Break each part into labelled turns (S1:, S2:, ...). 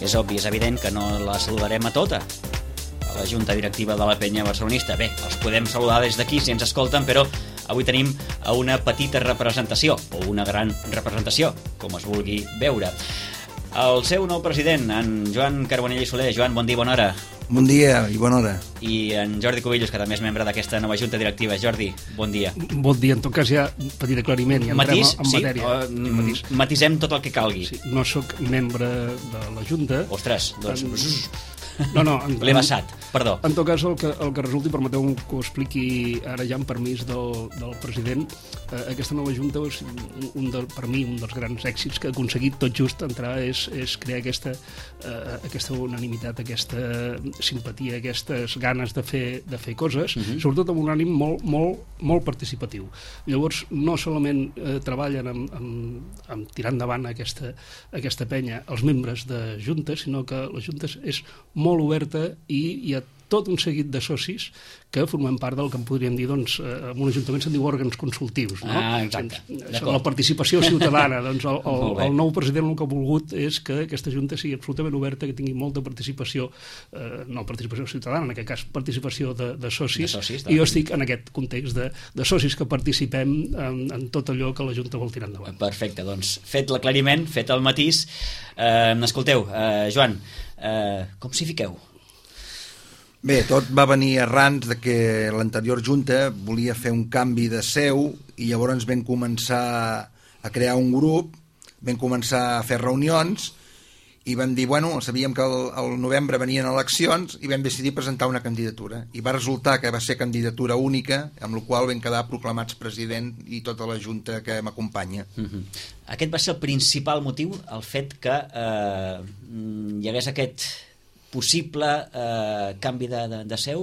S1: és obvi, és evident que no la saludarem a tota, a la Junta Directiva de la Penya Barcelonista. Bé, els podem saludar des d'aquí si ens escolten, però avui tenim una petita representació, o una gran representació, com es vulgui veure. El seu nou president, en Joan Carbonell i Soler. Joan, bon dia i bona hora.
S2: Bon dia i bona hora.
S1: I en Jordi Cubillos, que també és membre d'aquesta nova Junta Directiva. Jordi, bon dia.
S3: Bon dia, en tot cas ja un petit aclariment i entrem en matèria.
S1: Matisem tot el que calgui.
S3: Sí, no sóc membre de la Junta.
S1: Ostres, doncs...
S3: No,
S1: l'he vessat, perdó.
S3: En tot cas, el que resulti, permeteu que ho expliqui ara ja amb permís del president. Aquesta nova Junta, per mi, un dels grans èxits que ha aconseguit tot just entrar és crear aquesta unanimitat, aquesta simpatia, aquestes ganes de fer coses, sobretot amb un ànim molt participatiu. Llavors, no solament treballen amb tirar endavant aquesta penya els membres de Junta, sinó que la Junta és molt oberta i hi ha tot un seguit de socis que formem part del que en podríem dir, doncs, en un ajuntament se'n diu òrgans consultius, no?
S1: Exacte.
S3: La participació ciutadana. Doncs el nou president el que ha volgut és que aquesta Junta sigui absolutament oberta, que tingui molta participació, no participació ciutadana, en aquest cas participació de socis, i jo estic en aquest context de socis que participem en tot allò que la Junta vol tirar endavant.
S1: Perfecte, doncs fet l'aclariment, fet el matís. Escolteu, Joan, com s'hi fiqueu?
S2: Bé, tot va venir arran de que l'anterior Junta volia fer un canvi de seu i llavors vam començar a crear un grup, vam començar a fer reunions i vam dir, bueno, sabíem que al novembre venien eleccions i vam decidir presentar una candidatura. I va resultar que va ser candidatura única, amb la qual vam quedar proclamats president i tota la Junta que m'acompanya.
S1: Aquest va ser el principal motiu, el fet que hi hagués aquest possible canvi de seu.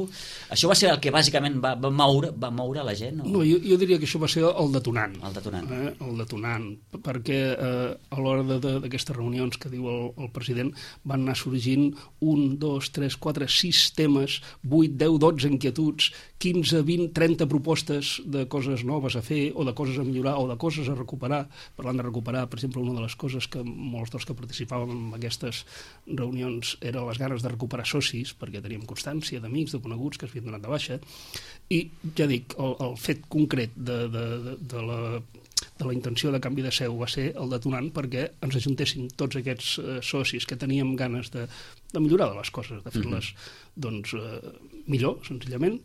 S1: Això va ser el que bàsicament va moure la gent?
S3: No, jo diria que això va ser el detonant.
S1: El detonant.
S3: Perquè a l'hora d'aquestes reunions que diu el president van anar sorgint 1, 2, 3, 4, 6 temes, 8, 10, 12 inquietuds, 15, 20, 30 propostes de coses noves a fer o de coses a millorar o de coses a recuperar. Parlant de recuperar, per exemple, una de les coses que molts dels que participàvem en aquestes reunions era les ganes de recuperar socis, perquè teníem constància d'amics, de coneguts que es havien donat de baixa, i ja dic, el fet concret de la intenció de canvi de seu va ser el detonant perquè ens ajuntessin tots aquests socis que teníem ganes de millorar de les coses, de fer-les doncs, millor, senzillament,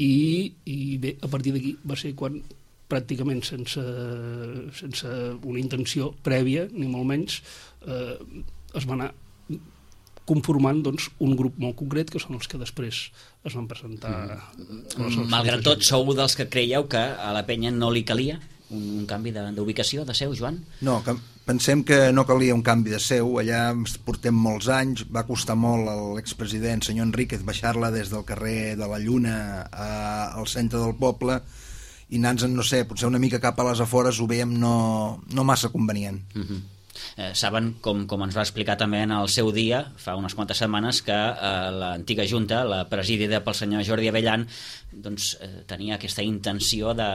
S3: i bé, a partir d'aquí va ser quan pràcticament sense una intenció prèvia, ni molt menys, es va anar conformant doncs, un grup molt concret que són els que després es van presentar.
S1: Malgrat tot, sou dels que creieu que a la penya no li calia un canvi d'ubicació, de seu, Joan?
S2: No, pensem que no calia un canvi de seu. Allà portem molts anys, va costar molt a l'expresident senyor Enríquez baixar-la des del carrer de la Lluna al centre del poble i anar-nos, no sé, potser una mica cap a les afores ho veiem no massa convenient.
S1: Saben, com ens va explicar també en el seu dia, fa unes quantes setmanes, que l'antiga Junta, la presidida pel senyor Jordi Abellan, doncs, tenia aquesta intenció de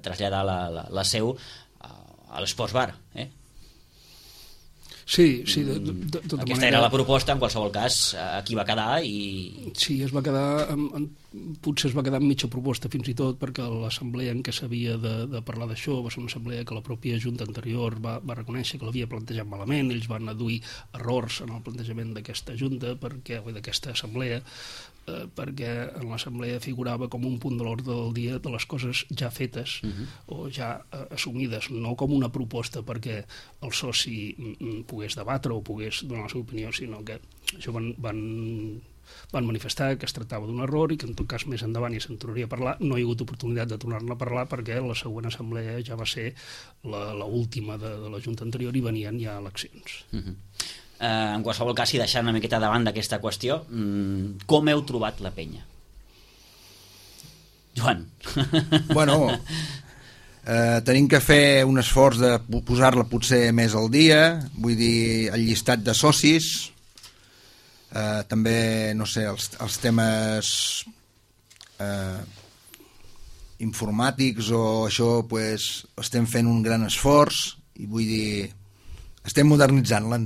S1: traslladar la seu a l'Esports Bar.
S3: Sí, de tota manera...
S1: Aquesta era la proposta, en qualsevol cas, aquí va quedar i...
S3: Sí, es va quedar... Potser es va quedar amb mitja proposta fins i tot perquè l'assemblea en què s'havia de parlar d'això va ser una assemblea que la pròpia Junta anterior va reconèixer que l'havia plantejat malament, ells van adduir errors en el plantejament d'aquesta Junta o d'aquesta assemblea perquè en l'assemblea figurava com un punt de l'ordre del dia de les coses ja fetes o ja assumides, no com una proposta perquè el soci pogués debatre o pogués donar la seva opinió, sinó que això van manifestar que es tractava d'un error i que en tot cas més endavant ja se'n tornaria a parlar. No hi ha hagut oportunitat de tornar-ne a parlar perquè la següent assemblea ja va ser l'última de la Junta anterior i venien ja eleccions.
S1: En qualsevol cas, i deixant una miqueta davant d'aquesta qüestió, com heu trobat la penya? Joan.
S2: Bueno, tenim que fer un esforç de posar-la potser més al dia, vull dir, el llistat de socis, també, no sé, els temes informàtics o això, pues, estem fent un gran esforç i vull dir, Estem modernitzant-la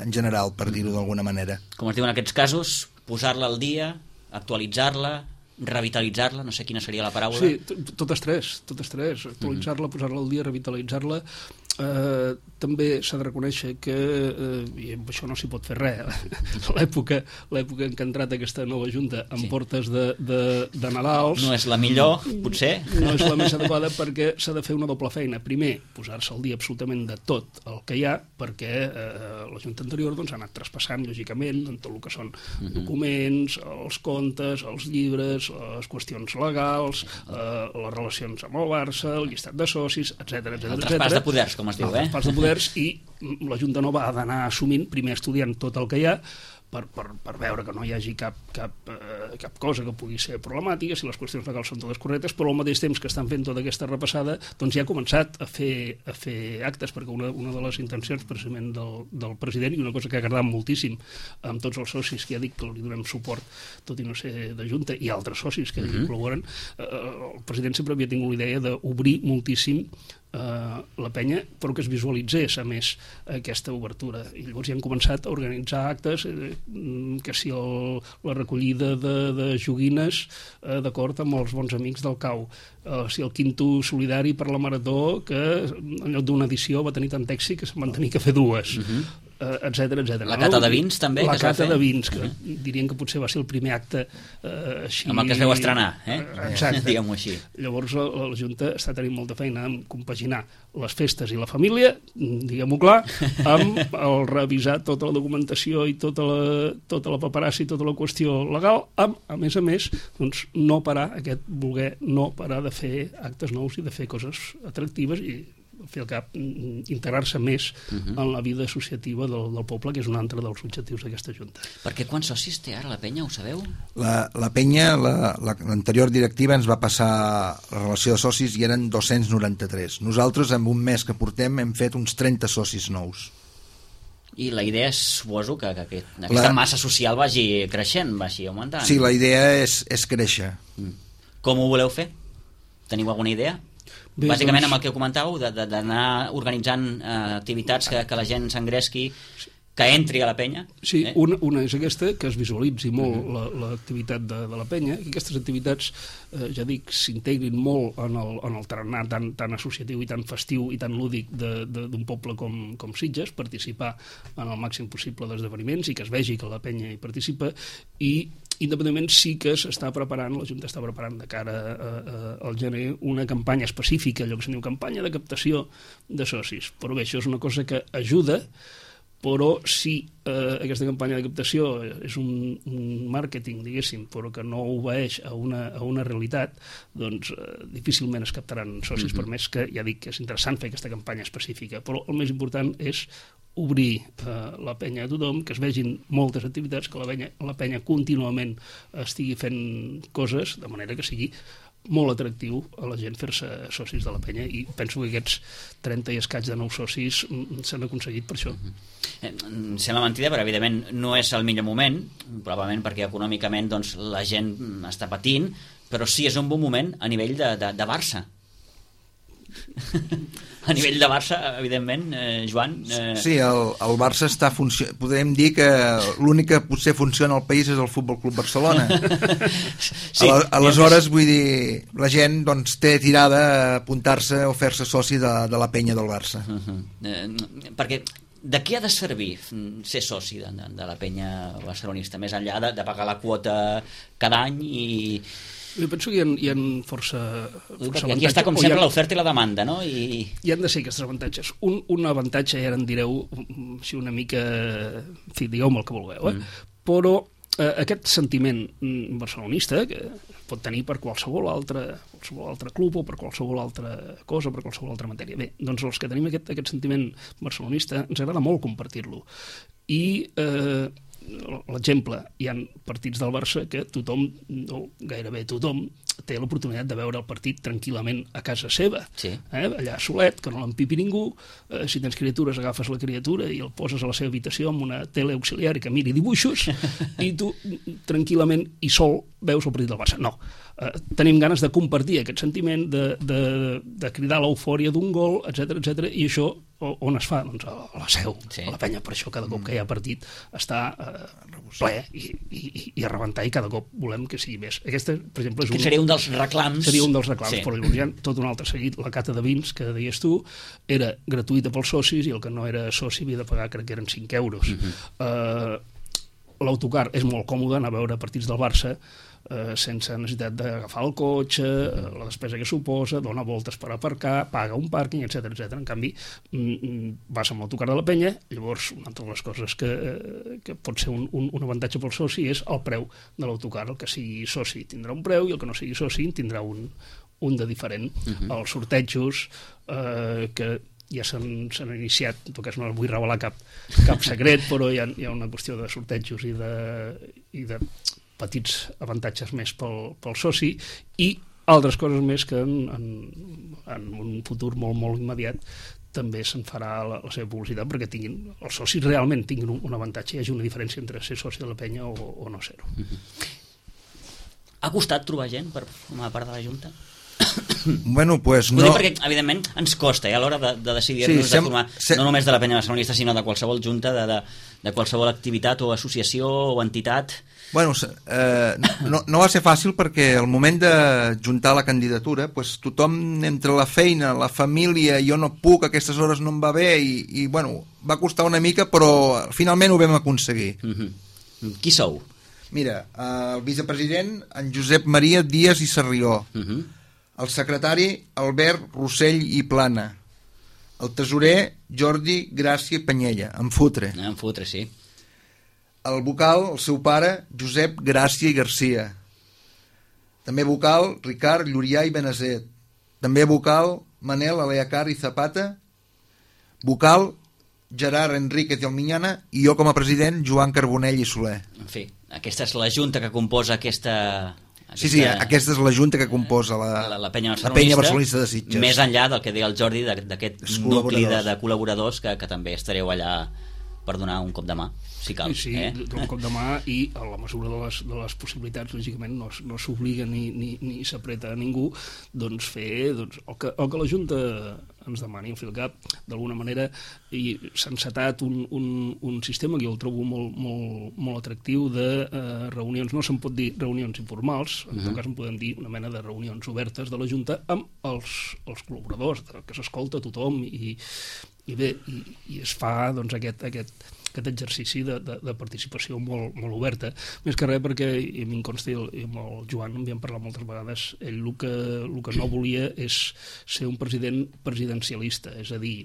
S2: en general, per dir-ho d'alguna manera.
S1: Com es diu en aquests casos, posar-la al dia, actualitzar-la, revitalitzar-la, no sé quina seria la paraula.
S3: Sí, totes tres, actualitzar-la, posar-la al dia, revitalitzar-la. També s'ha de reconèixer que i amb això no s'hi pot fer res, l'època en què ha entrat aquesta nova Junta en portes de Nadals
S1: no és la millor, potser
S3: no és la més adequada, perquè s'ha de fer una doble feina. Primer, posar-se al dia absolutament de tot el que hi ha, perquè la Junta anterior doncs, ha anat traspassant lògicament en tot el que són documents, els comptes, els llibres, les qüestions legals, les relacions amb el Barça, el llistat de socis, etc.
S1: El traspàs de poders, com es diu,
S3: el traspàs de poders, i la Junta Nova ha d'anar assumint, primer estudiant tot el que hi ha, per veure que no hi hagi cap cosa que pugui ser problemàtica, si les qüestions legals són totes correctes, però al mateix temps que estan fent tota aquesta repassada, doncs ja ha començat a fer actes, perquè una de les intencions precisament del president, i una cosa que ha agradat moltíssim amb tots els socis, que ja dic que li donem suport, tot i no ser de Junta, i altres socis que hi col·laboren, el president sempre havia tingut la idea d'obrir moltíssim la penya, però que es visualitzés a més aquesta obertura, i llavors ja han començat a organitzar actes, que si la recollida de joguines d'acord amb els bons amics del CAU, si el quinto solidari per la Marató, que en lloc d'una edició va tenir tant èxit que se'n van tenir que fer dues, etc.
S1: La cata de vins també,
S3: la cata de vins, que dirien que potser va ser el primer acte així...
S1: amb el que es veu estrenar,
S3: exacte.
S1: Diguem-ho així.
S3: Llavors la Junta està tenint molta feina en compaginar les festes i la família, diguem-ho clar, amb el revisar tota la documentació i tota la paperassa i tota la qüestió legal, amb, a més, doncs, no parar, voler no parar de fer actes nous i de fer coses atractives i al fi al cap integrar-se més en la vida associativa del poble, que és un altre dels objectius d'aquesta Junta.
S1: Perquè quants socis té ara la penya, ho sabeu?
S2: La penya, l'anterior directiva ens va passar la relació de socis i eren 293. Nosaltres, en un mes que portem, hem fet uns 30 socis nous.
S1: I la idea és, suposo, que aquesta massa social vagi creixent, vagi augmentant.
S2: Sí, la idea és créixer.
S1: Com ho voleu fer? Teniu alguna idea? Bé, bàsicament amb el que comentàveu, d'anar organitzant activitats que la gent s'engresqui, que entri a la penya.
S3: Sí, una és aquesta, que es visualitzi molt l'activitat de la penya, i aquestes activitats, ja dic, s'integrin molt en el tarannà tan associatiu i tan festiu i tan lúdic d'un poble com Sitges, participar en el màxim possible d'esdeveniments i que es vegi que la penya hi participa, i independentment sí que s'està preparant, la Junta està preparant de cara al gener una campanya específica, allò que se'n diu campanya de captació de socis. Però bé, això és una cosa que ajuda, però si aquesta campanya de captació és un màrqueting, diguéssim, però que no obeeix a una realitat, doncs difícilment es captaran socis, per més que, ja dic, que és interessant fer aquesta campanya específica, però el més important és obrir la penya a tothom, que es vegin moltes activitats, que la penya contínuament estigui fent coses, de manera que sigui molt atractiu a la gent fer-se socis de la penya, i penso que aquests 30 i escaig de nous socis s'han aconseguit per això.
S1: Sembla mentida, però evidentment no és el millor moment, probablement perquè econòmicament doncs, la gent està patint, però sí és un bon moment a nivell de Barça. A nivell de Barça, evidentment, Joan...
S2: Sí, el Barça està podem dir que l'únic que potser funciona al país és el Futbol Club Barcelona. Sí, aleshores, vull dir, la gent doncs, té tirada a apuntar-se o fer-se soci de la penya del Barça.
S1: Perquè de què ha de servir ser soci de la penya barcelonista, més enllà de pagar la quota cada any i...
S3: Jo penso que hi ha força
S1: avantatges. Aquí està com sempre l'oferta i la demanda, no?
S3: Hi han de ser aquests avantatges. Un avantatge, ja en direu si una mica... En fi, digueu-me el que vulgueu, però aquest sentiment barcelonista que pot tenir per qualsevol altre club o per qualsevol altra cosa, per qualsevol altra matèria. Bé, doncs els que tenim aquest sentiment barcelonista ens agrada molt compartir-lo. I l'exemple, hi ha partits del Barça que tothom, o gairebé tothom, té l'oportunitat de veure el partit tranquil·lament a casa seva, allà solet, que no l'empipi ningú. Si tens criatures, agafes la criatura i el poses a la seva habitació amb una tele auxiliar i que miri dibuixos, i tu tranquil·lament i sol veus el partit del Barça. No, tenim ganes de compartir aquest sentiment, de cridar l'eufòria d'un gol, etc, i això on es fa? Doncs a la Seu, a la Penya. Per això cada cop que hi ha partit està ple i a rebentar, i cada cop volem que sigui més. Aquesta, per exemple,
S1: seria un dels reclams.
S3: Seria un dels reclams, però hi ha tot un altre seguit. La cata de vins, que deies tu, era gratuïta pels socis, i el que no era soci havia de pagar, crec que eren 5 euros. L'autocar és molt còmode, anar a veure partits del Barça sense necessitat d'agafar el cotxe, la despesa que suposa, dona voltes per aparcar, paga un pàrquing, etc. En canvi, vas amb l'autocar de la Penya. Llavors, una altra de les coses que pot ser un avantatge pel soci és el preu de l'autocar. El que sigui soci tindrà un preu i el que no sigui soci tindrà un de diferent. Els sortejos que ja s'han iniciat, en tot cas no vull revelar cap secret, però hi ha una qüestió de sortejos i de petits avantatges més pel soci, i altres coses més que en un futur molt, molt immediat també se'n farà la seva publicitat, perquè els socis realment tinguin un avantatge, hi hagi una diferència entre ser soci de la Penya o no ser-ho.
S1: Ha costat trobar gent per formar part de la Junta?
S2: Bueno, pues no.
S1: Perquè, evidentment, ens costa a l'hora de decidir-nos de formar, no només de la Penya Barcelonista, sinó de qualsevol junta, de qualsevol activitat o associació o entitat.
S2: Bueno, no va ser fàcil, perquè al moment de juntar la candidatura, pues, tothom, entre la feina, la família, jo no puc, a aquestes hores no em va bé, i bueno, va costar una mica, però finalment ho vam aconseguir.
S1: Qui sou?
S2: Mira, el vicepresident, en Josep Maria Díaz i Sarrió. El secretari, Albert Rossell i Plana. El tesorer, Jordi Gràcia i Penyella, en Futre.
S1: En Futre, sí.
S2: El vocal, el seu pare, Josep Gràcia i Garcia. També vocal, Ricard Llurià i Benazet. També vocal, Manel Aleacar i Zapata. Vocal, Gerard Enríquez i Alminyana. I jo com a president, Joan Carbonell i Soler.
S1: En fi, aquesta és la junta que composa aquesta...
S2: Sí, aquesta és la junta que composa
S1: la Penya
S2: Barcelonista de Sitges.
S1: Més enllà del que deia el Jordi, d'aquest nucli de col·laboradors que també estareu allà per donar un cop de mà, si cal.
S3: Sí, un cop de mà, i a la mesura de les possibilitats, lògicament, no s'obliga ni s'apreta a ningú, doncs fer el que la Junta ens demani. Al cap, d'alguna manera, s'ha encetat un sistema que jo el trobo molt atractiu, de reunions, no se'n pot dir reunions informals, en tot cas en podem dir una mena de reunions obertes de la Junta amb els col·laboradors, que s'escolta tothom, i es fa aquest exercici de participació molt oberta. Més que res perquè, i a mi em consta, i amb el Joan en havíem parlat moltes vegades, ell el que no volia és ser un president presidencialista, és a dir,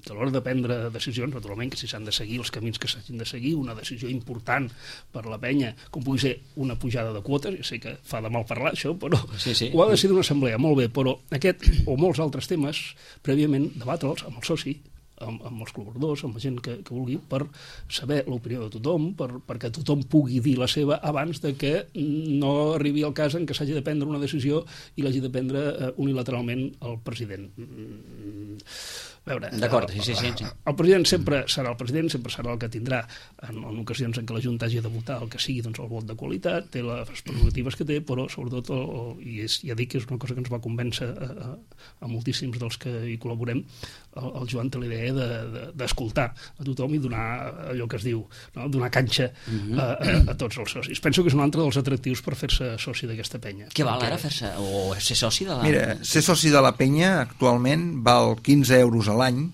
S3: que a l'hora de prendre decisions, naturalment que si s'han de seguir els camins que s'hagin de seguir, una decisió important per la Penya, com pugui ser una pujada de quotes, jo sé que fa de mal parlar això, però ho ha de ser d'una assemblea, molt bé, però aquest o molts altres temes, prèviament debatre'ls amb el soci, amb els col·laboradors, amb la gent que vulgui, per saber l'opinió de tothom, perquè tothom pugui dir la seva abans de que no arribi el cas en què s'hagi de prendre una decisió i l'hagi de prendre unilateralment el president.
S1: D'acord, sí.
S3: El president sempre serà el president, sempre serà el que tindrà en ocasions en què la Junta hagi de votar el que sigui, doncs el vot de qualitat, té les prerrogatives que té, però sobretot, ja dic que és una cosa que ens va convèncer a moltíssims dels que hi col·laborem, el Joan té la idea d'escoltar a tothom i donar allò que es diu, donar canxa a tots els socis. Penso que és un altre dels atractius per fer-se soci d'aquesta penya.
S1: Què val ara fer-se, o ser soci de la...
S2: Mira, ser soci de la Penya actualment val 15 euros a l'any,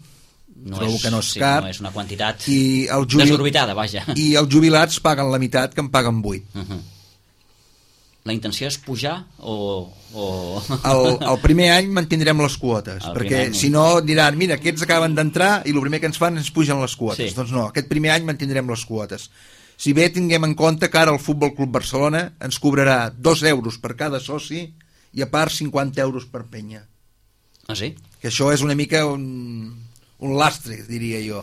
S2: trobo que no és car,
S1: no és una quantitat
S2: desorbitada,
S1: vaja.
S2: I els jubilats paguen la meitat, que en paguen 8.
S1: La intenció és pujar o...
S2: El primer any mantindrem les quotes, perquè si no diran, mira, aquests acaben d'entrar i el primer que ens fan és pugen les quotes. Doncs no, aquest primer any mantindrem les quotes. Si bé tinguem en compte que ara el Futbol Club Barcelona ens cobrarà 2 euros per cada soci i a part 50 euros per penya.
S1: Ah, sí?
S2: Que això és una mica un lastre, diria jo.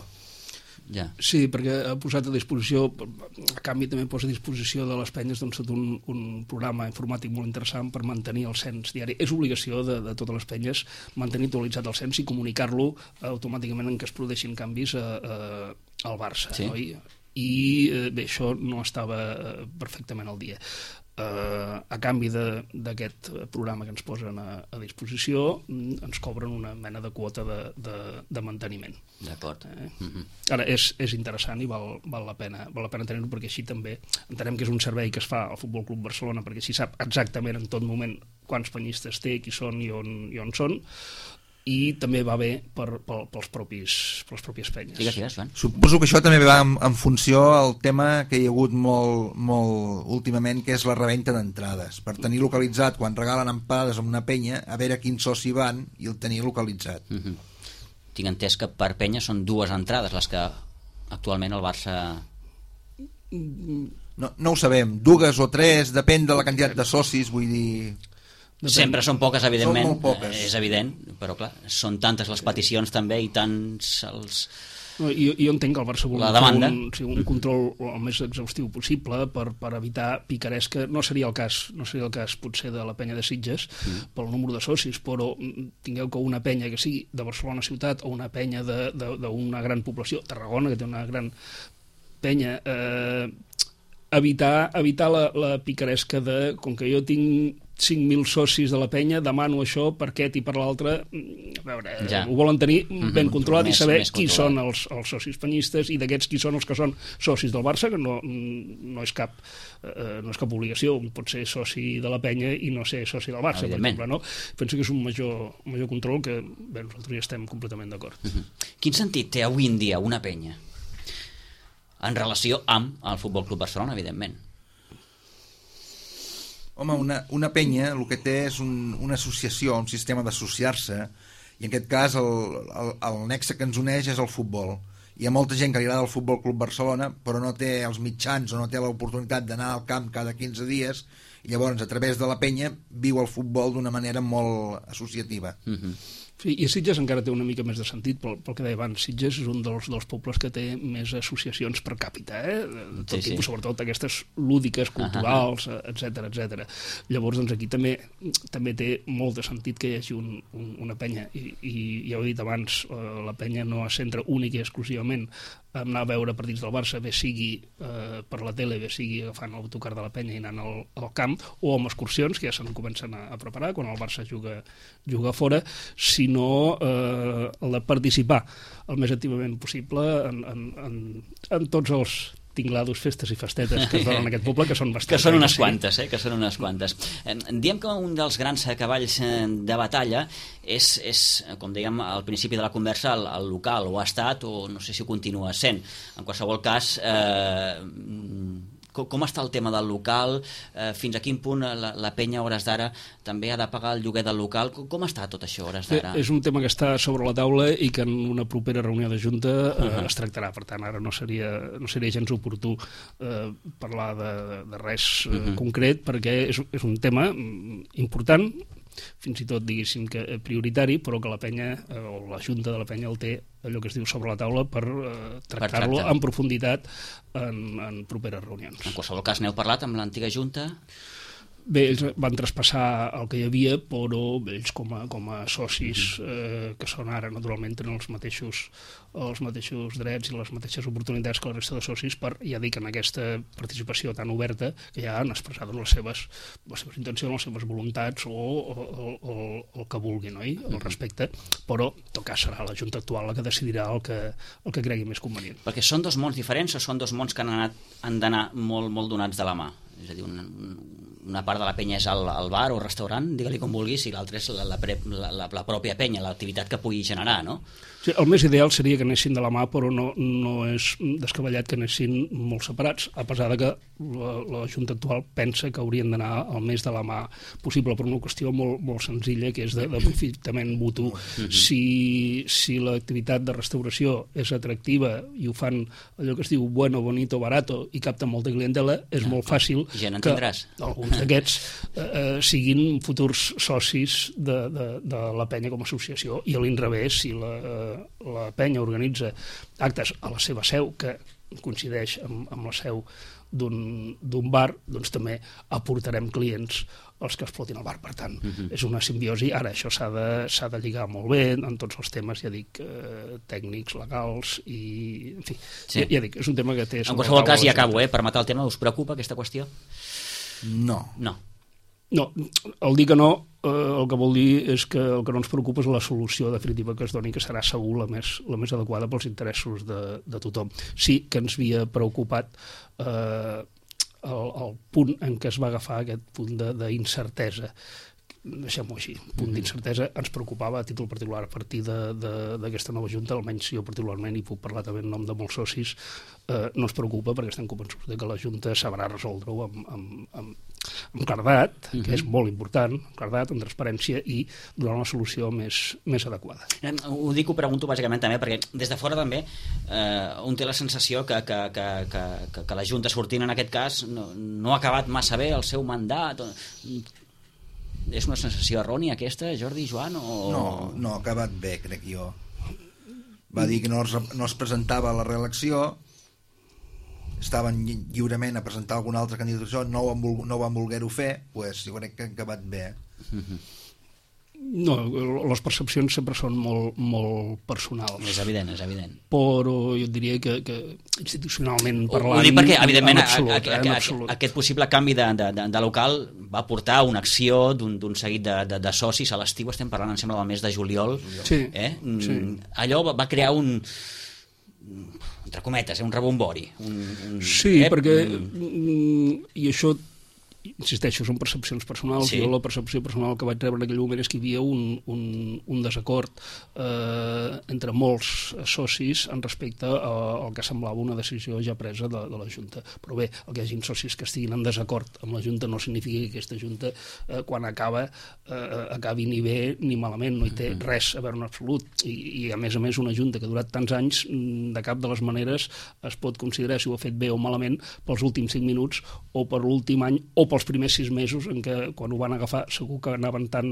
S3: Ja. Sí, perquè ha posat a disposició, a canvi també posa a disposició de les penyes tot un programa informàtic molt interessant per mantenir el cens diari. És obligació de totes les penyes mantenir actualitzat el cens i comunicar-lo automàticament en què es produeixin canvis al Barça.
S1: Sí.
S3: Oi? I bé, això no estava perfectament al dia. a canvi d'aquest programa que ens posen a disposició, ens cobren una mena de quota de manteniment.
S1: D'acord.
S3: Ara, és interessant i val la pena tenir-ho, perquè així també entenem que és un servei que es fa al Futbol Club Barcelona, perquè així sap exactament en tot moment quants penyistes té, qui són i on són, i també va bé pels pròpies penyes.
S1: Digues, Joan.
S2: Suposo que això també va en funció al tema que hi ha hagut molt últimament, que és la reventa d'entrades, per tenir localitzat, quan regalen emparades amb una penya, a veure quins socis van i el tenir localitzat.
S1: Tinc entès que per penya són 2 entrades les que actualment el Barça...
S2: No ho sabem, 2 o 3, depèn de la quantitat de socis, vull dir...
S1: Sempre són poques, evidentment,
S2: són molt poques.
S1: És evident, però clar, són tantes les peticions també i tants els...
S3: Jo entenc que el Barça vol fer un control el més exhaustiu possible per evitar picaresca. No seria el cas potser de la penya de Sitges pel número de socis, però tingueu que una penya que sigui de Barcelona ciutat o una penya d'una gran població, Tarragona, que té una gran penya, evitar la picaresca de, com que jo tinc 5.000 socis de la penya, demano això per aquest i per l'altre. A veure, ho volen tenir ben controlat i saber qui són els socis penyistes i d'aquests qui són els que són socis del Barça, que no és cap obligació, pot ser soci de la penya i no ser soci del Barça, per exemple, no? Penso que és un major control que nosaltres hi estem completament d'acord.
S1: Quin sentit té avui en dia una penya en relació amb el Futbol Club Barcelona, evidentment?
S2: Home, una penya el que té és una associació, un sistema d'associar-se, i en aquest cas el nexe que ens uneix és el futbol. Hi ha molta gent que li agrada el Futbol Club Barcelona, però no té els mitjans o no té l'oportunitat d'anar al camp cada 15 dies, i llavors a través de la penya viu el futbol d'una manera molt associativa.
S3: Sí, i Sitges encara té una mica més de sentit pel que deia abans. Sitges és un dels pobles que té més associacions per càpita, de tot tipus, sobretot aquestes lúdiques, culturals, etc. Llavors, doncs, aquí també té molt de sentit que hi hagi una penya, i ja ho he dit abans, la penya no es centra únic i exclusivament a anar a veure partits del Barça, bé sigui per la tele, bé sigui agafant l'autocar de la penya i anant al camp, o amb excursions, que ja se'n comencen a preparar quan el Barça juga fora, sinó el de participar el més activament possible en tots els tinglados, festes i festetes que es donen en aquest poble, que són bastants.
S1: Que són unes quantes, que són unes quantes. Diem que un dels grans cavalls de batalla és, com dèiem al principi de la conversa, el local, o ha estat, o no sé si ho continua sent. En qualsevol cas, com està el tema del local? Fins a quin punt la penya a hores d'ara també ha de pagar el lloguer del local? Com està tot això a hores d'ara?
S3: És un tema que està sobre la taula i que en una propera reunió de Junta es tractarà. Per tant, ara no seria gens oportú parlar de res concret, perquè és un tema important, fins i tot diguéssim que prioritari, però que la penya o la Junta de la penya el té allò que es diu sobre la taula per tractar-lo en profunditat en properes reunions.
S1: En qualsevol cas, n'heu parlat amb l'antiga Junta?
S3: Bé, ells van traspassar el que hi havia, però ells com a socis que són ara, naturalment, tenen els mateixos drets i les mateixes oportunitats que la resta de socis per, ja dic, en aquesta participació tan oberta, que ja han expressat les seves intencions, les seves voluntats o el que vulguin, oi? Al respecte, però en tot cas serà la Junta actual la que decidirà el que cregui més convenient.
S1: Perquè són dos mons diferents o són dos mons que han d'anar molt, molt donats de la mà? És a dir, una part de la penya és el bar o restaurant, digue-li com vulguis, i l'altra és la pròpia penya, l'activitat que pugui generar, no?
S3: Sí, el més ideal seria que anessin de la mà, però no és descabellat que anessin molt separats, a pesar de que la Junta actual pensa que haurien d'anar el més de la mà possible, per una qüestió molt, molt senzilla, que és d'aprofitament mutu. Si l'activitat de restauració és atractiva i ho fan allò que es diu bueno, bonito, barato i capten molta clientela, és molt fàcil que alguns d'aquests siguin futurs socis de la penya com a associació, i a l'inrevés, si la penya organitza actes a la seva seu que coincideix amb la seu d'un bar, doncs també aportarem clients als que explotin el bar. Per tant, és una simbiosi. Ara això s'ha de lligar molt bé en tots els temes, ja dic, tècnics, legals i, en fi, ja dic, és un tema que té...
S1: En qualsevol cas, i acabo, per matar el tema, us preocupa aquesta qüestió?
S2: No.
S1: No.
S3: No, el dir que no, el que vol dir és que el que no ens preocupa és la solució definitiva que es doni, que serà segur la més adequada pels interessos de tothom. Sí que ens havia preocupat el punt en què es va agafar aquest punt d'incertesa. Deixem-ho així, punt d'incertesa ens preocupava a títol particular a partir d'aquesta nova junta, almenys jo particularment, i puc parlar també en nom de molts socis, no ens preocupa perquè estem convençuts que la junta sabrà resoldre-ho amb claredat, que és molt important, amb claredat, amb transparència i donar una solució més adequada.
S1: Ho dic, ho pregunto bàsicament també perquè des de fora també un té la sensació que la junta sortint en aquest cas no ha acabat massa bé el seu mandat. És una sensació errònia aquesta, Jordi, Joan?
S2: No, ha acabat bé, crec jo. Va dir que no es presentava a la reelecció, estaven lliurement a presentar alguna altra candidatura, no van voler-ho fer, doncs jo crec que ha acabat bé.
S3: No, les percepcions sempre són molt personals.
S1: És evident.
S3: Però jo diria que institucionalment parlant...
S1: Ho dic perquè, evidentment,
S3: absolut.
S1: aquest possible canvi de local va portar una acció d'un seguit de socis a l'estiu, estem parlant, em sembla, del mes de juliol.
S3: Sí.
S1: Sí. Allò va crear entre cometes, un rebombori.
S3: Sí, perquè... I això... insisteixo, són percepcions personals. Sí. Jo la percepció personal que vaig rebre en aquell moment és que hi havia un desacord entre molts socis en respecte al que semblava una decisió ja presa de la Junta. Però bé, el que hi hagi socis que estiguin en desacord amb la Junta no significa que aquesta Junta quan acabi ni bé ni malament, no hi té res a veure en absolut. I a més una Junta que ha durat tants anys, de cap de les maneres es pot considerar si ho ha fet bé o malament pels últims 5 minuts o per l'últim any o pels primers 6 mesos en què quan ho van agafar segur que anaven tan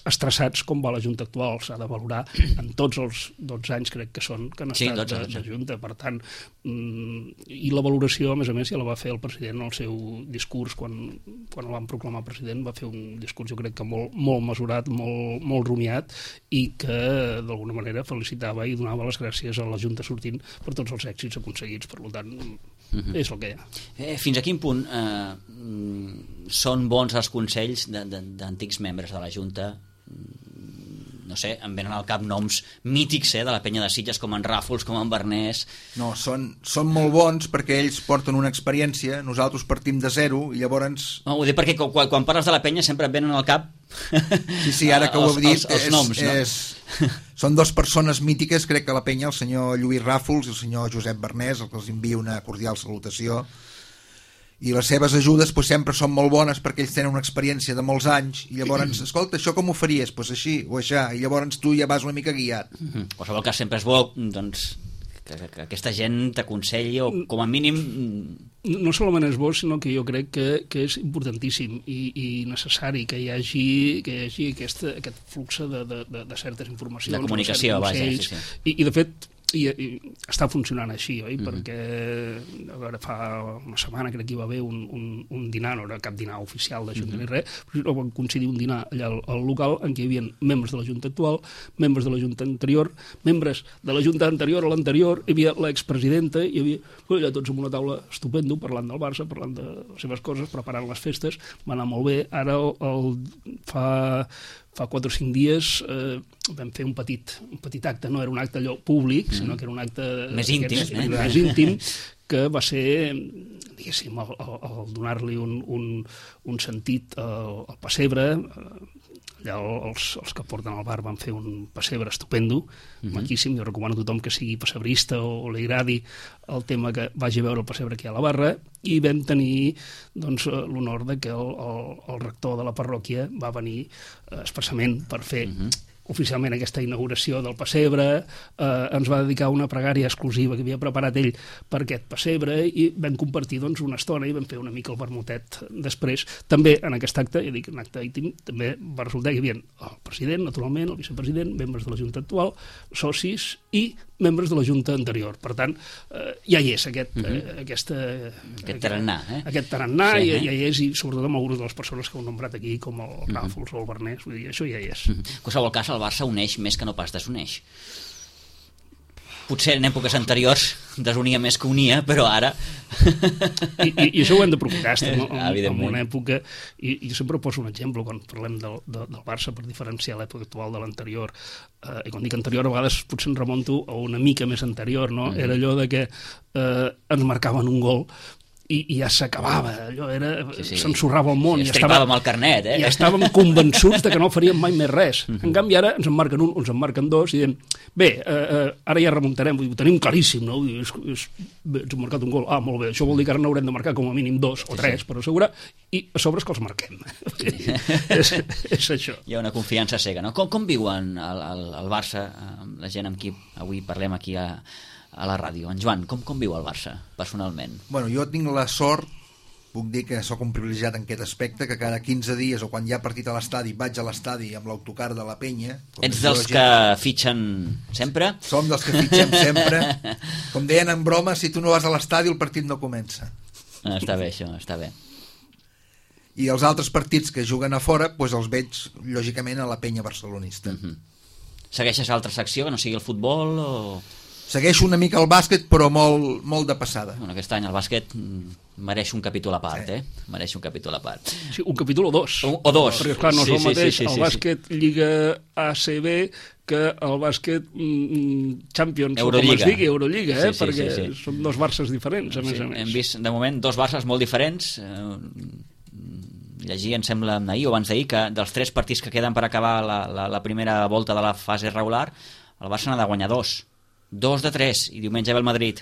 S3: estressats com va la Junta actual. S'ha de valorar en tots els 12 anys crec que han estat de Junta. Per tant, i la valoració a més ja la va fer el president en el seu discurs quan el van proclamar president. Va fer un discurs jo crec que molt mesurat, molt rumiat, i que d'alguna manera felicitava i donava les gràcies a la Junta sortint per tots els èxits aconseguits. Per tant, és el que hi ha.
S1: Fins a quin punt són bons els consells d'antics membres de la Junta? No sé, em venen al cap noms mítics de la penya de Sitges, com en Ràfols, com en Bernès.
S2: No, són molt bons perquè ells porten una experiència, nosaltres partim de zero i llavors...
S1: No, ho dic perquè quan parles de la penya sempre et venen al cap
S2: sí, ara que ho heu dit
S1: els noms, no?
S2: Són 2 persones mítiques, crec que a la penya, el senyor Lluís Ràfols i el senyor Josep Bernès, els que els envia una cordial salutació. I les seves ajudes sempre són molt bones perquè ells tenen una experiència de molts anys i llavors, escolta, això com ho faries? Doncs així o així, i llavors tu ja vas una mica guiat.
S1: En qualsevol cas sempre és bo doncs, que aquesta gent t'aconselli o com a mínim...
S3: No solament és bo, sinó que jo crec que és importantíssim i necessari que hi hagi aquest flux de certes informacions.
S1: De comunicació, vaja.
S3: I de fet, i està funcionant així, oi? Perquè a veure, fa una setmana crec que hi va haver un dinar, no era cap dinar oficial de Junta ni res, però va coincidir un dinar allà al local en què hi havia membres de la Junta actual, membres de la Junta anterior, membres de la Junta anterior a l'anterior, hi havia l'expresidenta, hi havia allà tots en una taula estupendo, parlant del Barça, parlant de les seves coses, preparant les festes, va anar molt bé. Ara fa 4 o 5 dies vam fer un petit acte, no era un acte allò públic, sinó que era un acte
S1: més
S3: íntim, que va ser, diguéssim, el donar-li un sentit al pessebre. Allà els que porten al bar van fer un pessebre estupendo, maquíssim. Jo recomano a tothom que sigui pessebrista o li agradi el tema que vagi a veure el pessebre aquí a la barra, i vam tenir l'honor que el rector de la parròquia va venir expressament per fer oficialment aquesta inauguració del pessebre, ens va dedicar una pregària exclusiva que havia preparat ell per aquest pessebre i vam compartir una estona i vam fer una mica el vermutet després. També en aquest acte, ja dic, un acte íntim, també va resultar que hi havia el president, naturalment, el vicepresident, membres de la Junta actual, socis i membres de la Junta anterior. Per tant, ja hi és aquest
S1: tarannà.
S3: Aquest tarannà, sí, ja hi és, i sobretot amb algunes de les persones que heu nombrat aquí, com el Ràfols o el Bernès, vull dir, això ja hi és.
S1: En qualsevol cas, el Barça uneix més que no pas desuneix. potser en èpoques anteriors desunia més que unia, però ara...
S3: I això ho hem de provocar, estem en una època, i jo sempre poso un exemple quan parlem del Barça per diferenciar l'època actual de l'anterior, i quan dic anterior a vegades potser em remonto a una mica més anterior, no? Era allò de que ens marcaven un gol i ja s'acabava, allò era... s'ensorrava el món.
S1: Sí, estripàvem el carnet,
S3: I estàvem convençuts de que no faríem mai més res. En canvi, ara ens en marquen un, ens en marquen dos, i diem, bé, ara ja remuntarem, ho tenim claríssim, no? Bé, ens han marcat un gol, molt bé, això vol dir que ara n'haurem de marcar com a mínim 2 o 3, per assegurar, i a sobre és que els marquem. És això.
S1: Hi ha una confiança cega, no? Com viuen el Barça, la gent amb qui avui parlem aquí a la ràdio? En Joan, com viu el Barça, personalment?
S2: Bueno, jo tinc la sort, puc dir que sóc un privilegiat en aquest aspecte, que cada 15 dies o quan hi ha partit a l'estadi vaig a l'estadi amb l'autocar de la penya.
S1: Ets dels que fitxen sempre?
S2: Som dels que fitxem sempre. Com deien en broma, si tu no vas a l'estadi el partit no comença.
S1: Està bé això, està bé.
S2: I els altres partits que juguen a fora doncs els veig lògicament a la penya barcelonista.
S1: Segueixes altra secció que no sigui el futbol o...
S2: Segueixo una mica el bàsquet, però molt de passada.
S1: Bueno, aquest any el bàsquet mereix un capítol a part, Mereix un capítol a part.
S3: Sí, un capítol o dos.
S1: O dos.
S3: Perquè, esclar, no és el mateix el bàsquet Lliga ACB que el bàsquet Champions,
S1: Eurolliga.
S3: O com es digui, Eurolliga, perquè són dos Barces diferents, a més a més.
S1: Hem vist, de moment, dos Barces molt diferents. Llegir, em sembla, ahir o abans d'ahir, que dels 3 partits que queden per acabar la primera volta de la fase regular, el Barça n'ha de guanyar 2. 2 de 3, i diumenge ve el Madrid.